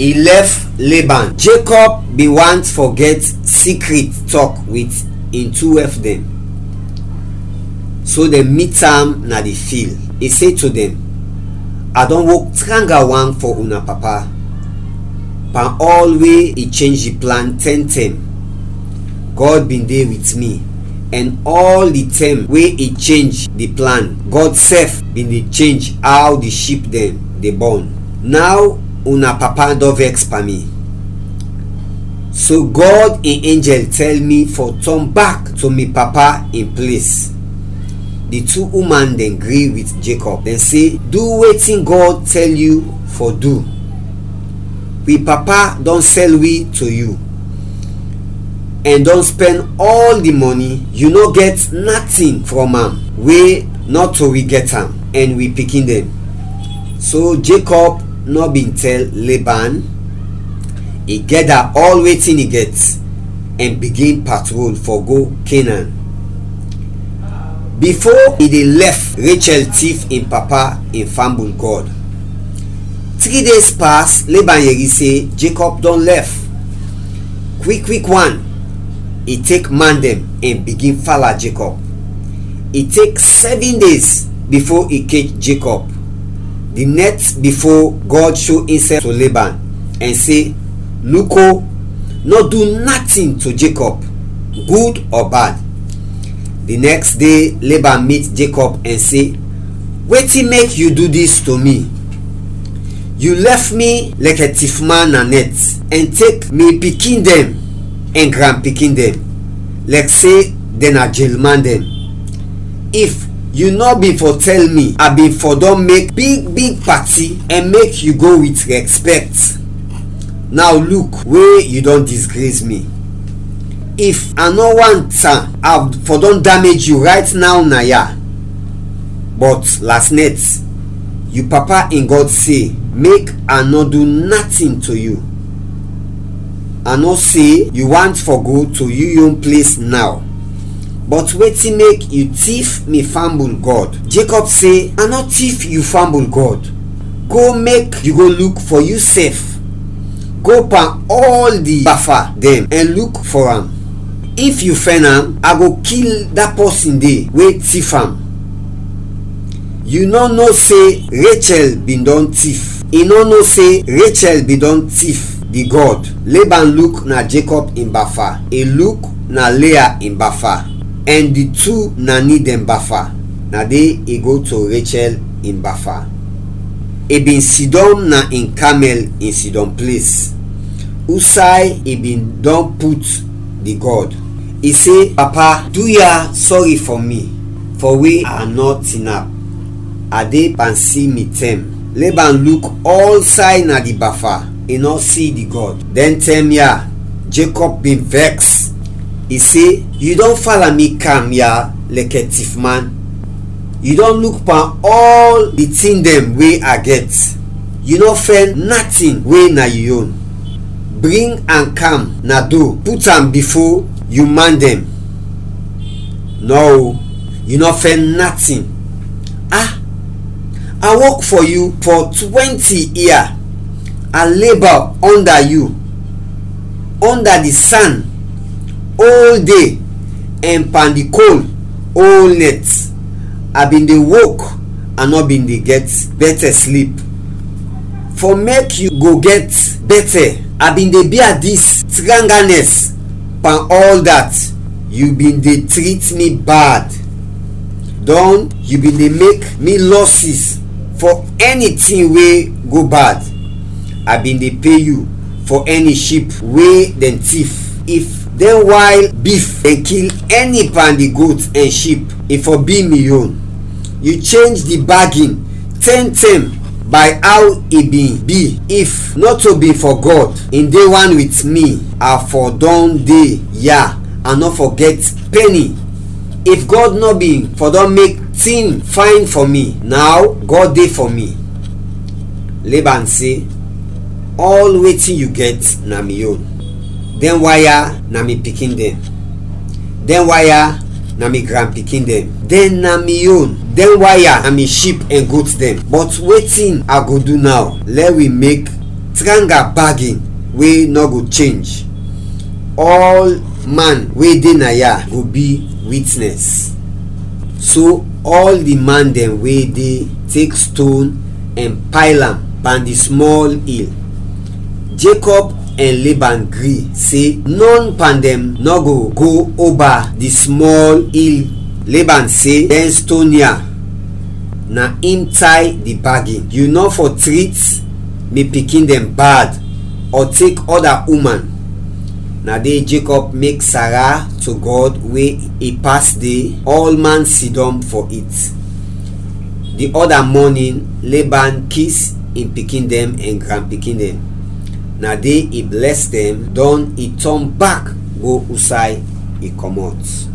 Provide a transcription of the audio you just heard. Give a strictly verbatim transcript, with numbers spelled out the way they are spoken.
I lɛf Laban. Jacob bin want fɔ gɛt secret talk with in two wife dem. So dem meet am na di field. I se to dem, "I dɔn wok tranga wan fɔ una papa, pan ɔl we i change di plan tɛntɛm. Gɔd bin de wit mi, ɛn ɔl di tɛm we i change di plan, Gɔd sɛf bin de change aw di ship dɛn de bɔn. Naw una papa dɔn vɛks pan mi." So Gɔd in enjɛl tɛl mi fɔ tɔn bak to mi papa in ples. Di tu uman dɛn gri wit Jacob, dɛn se, "Du wetin Gɔd tɛl yu fɔ du. Wi papa dɔn sɛl wi to yu, ɛn dɔn spɛn ɔl di mɔni, yu nɔ gɛt natin frɔm am we nɔto wi gɛt am, ɛn wi pikin dɛn." So Jacob nɔ bin tɛl Laban. I gɛda ɔl wetin i gɛt ɛn bigin patrol fɔ go Kenan. Bifo i de lɛf, Rachel tif in papa in fambul gɔd. Tri days pas, Laban yɛri se Jacob dɔn lɛf. Kwik kwik wan, i tek man dɛn ɛn bigin fala Jacob. I tek sɛvin days bifo i kech Jacob. Di nɛt bifo, Gɔd sho insɛf to Laban ɛn se, "Luko, nɔ du natin to Jacob, gud ɔ bad." Di nɛks de, Laban mit Jacob ɛn se, "Wetin mek yu du dis to mi? Yu lɛf mi lɛkɛ tifman na nɛt, ɛn tek mi pikin dɛn ɛn granpikin dɛn, lɛk se dɛn na jelman dɛn. If yu nɔ bin fɔ tɛl mi, a bin fɔ dɔn mek big big pati ɛn mek yu go wit rɛspɛkt. Naw luk we yu dɔn disgres mi. If a nɔ want am, a fɔ dɔn damej yu rayt naw naya. Bɔt lasnɛt, yu papa in Gɔd se mek a nɔ du natin to yu. A no se yu want fɔ go to yu yon ples naw, bɔt wetin mek yu tif mi fambul gɔd?" Jacob se, "A nɔ tif yu fambul gɔd. Go mek yu go luk fɔ yusɛf. Go pan ɔl di bafa dɛn ɛn luk fɔ am. If yu fɛn am, a go kil da pɔsin de we tif am." Yu nɔ no se Rachel bin dɔn tif? I nɔ no se Rachel bin dɔn tif di gɔd? Laban luk na Jacob in bafa, i luk na Leah in bafa, ɛn di tu nani dɛn bafa. Na de i go to Rachel in bafa. I bin sidɔm na in kamɛl in sidɔm ples, usay i bin dɔn put di gɔd. I se, "Papa, du ya sɔri fɔ mi, fɔ we a nɔ tinap. A de pan si mi tɛm." Laban luk ɔlsay na di bafa, i nɔ si di gɔd. Dɛn tɛm ya, Jacob bin vɛks. I se, "Yu dɔn fala mi kam ya lɛkɛ tifman. Yu dɔn luk pan ɔl di tin dɛn we a gɛt. Yu nɔ fɛn natin we na yu yon. Bring am kam na do, put am bifo yu man dɛn. Nɔ, yu nɔ fɛn natin. A, a wok fɔ yu fɔ twɛnti ia. A leba ɔnda yu, ɔnda di san, ol de, ɛn pan di kol ol nɛt. A bin de wok, a nɔ bin de gɛt bɛtɛ slip. Fɔ mek yu go gɛt bɛtɛ, a bin de bia dis tranganɛs. Pan ɔl dat, yu bin de trit mi bad. Dɔn yu bin de mek mi lɔsis fɔ ɛni tin we go bad. A bin de pe yu fɔ ɛni ship we dɛn tif. If dɛn wayl bif dɛn kil ɛni pan di got ɛn ship, i fɔ bi mi yon." Yu chenj di bagin tɛntɛm bay aw i bin bi. If nɔto bin fɔ Gɔd in de wan wit mi, a fɔ dɔn de ya, a nɔ fɔ gɛt pɛni. If Gɔd nɔ bin fɔ dɔn mek tin fayn fɔ mi, naw Gɔd de fɔ mi. Laban se, "Ɔl wetin yu gɛt na mi yon. Dɛn wan ya na mi pikin dɛn. Dɛn wan ya na mi granpikin dɛn. Dɛn na mi yon. Dɛn wan ya na mi ship ɛn got dɛn. Bɔt wetin a go du naw? Lɛ wi mek Tranga bargain wey nɔ go change. Ɔl man we de na ya go bi witness. So ɔl di man dɛn we de tek ston ɛn payl am pan di smɔl il. Jacob ɛn Laban gri se nɔn pan dɛn nɔ go go oba di smɔl il. Laban se, dɛn ston ya na im tay di bagin. Yu nɔ fɔ trit mi pikin dɛn bad ɔ tek ɔda uman. Na de Jacob mek sara to Gɔd we i pas de ɔl man sidɔm fɔ it. Di ɔda mɔnin, Laban kis in pikin dɛn ɛn granpikin dɛn. Na de i blɛs dɛn, dɔn i tɔn bak go usay i kɔmɔt.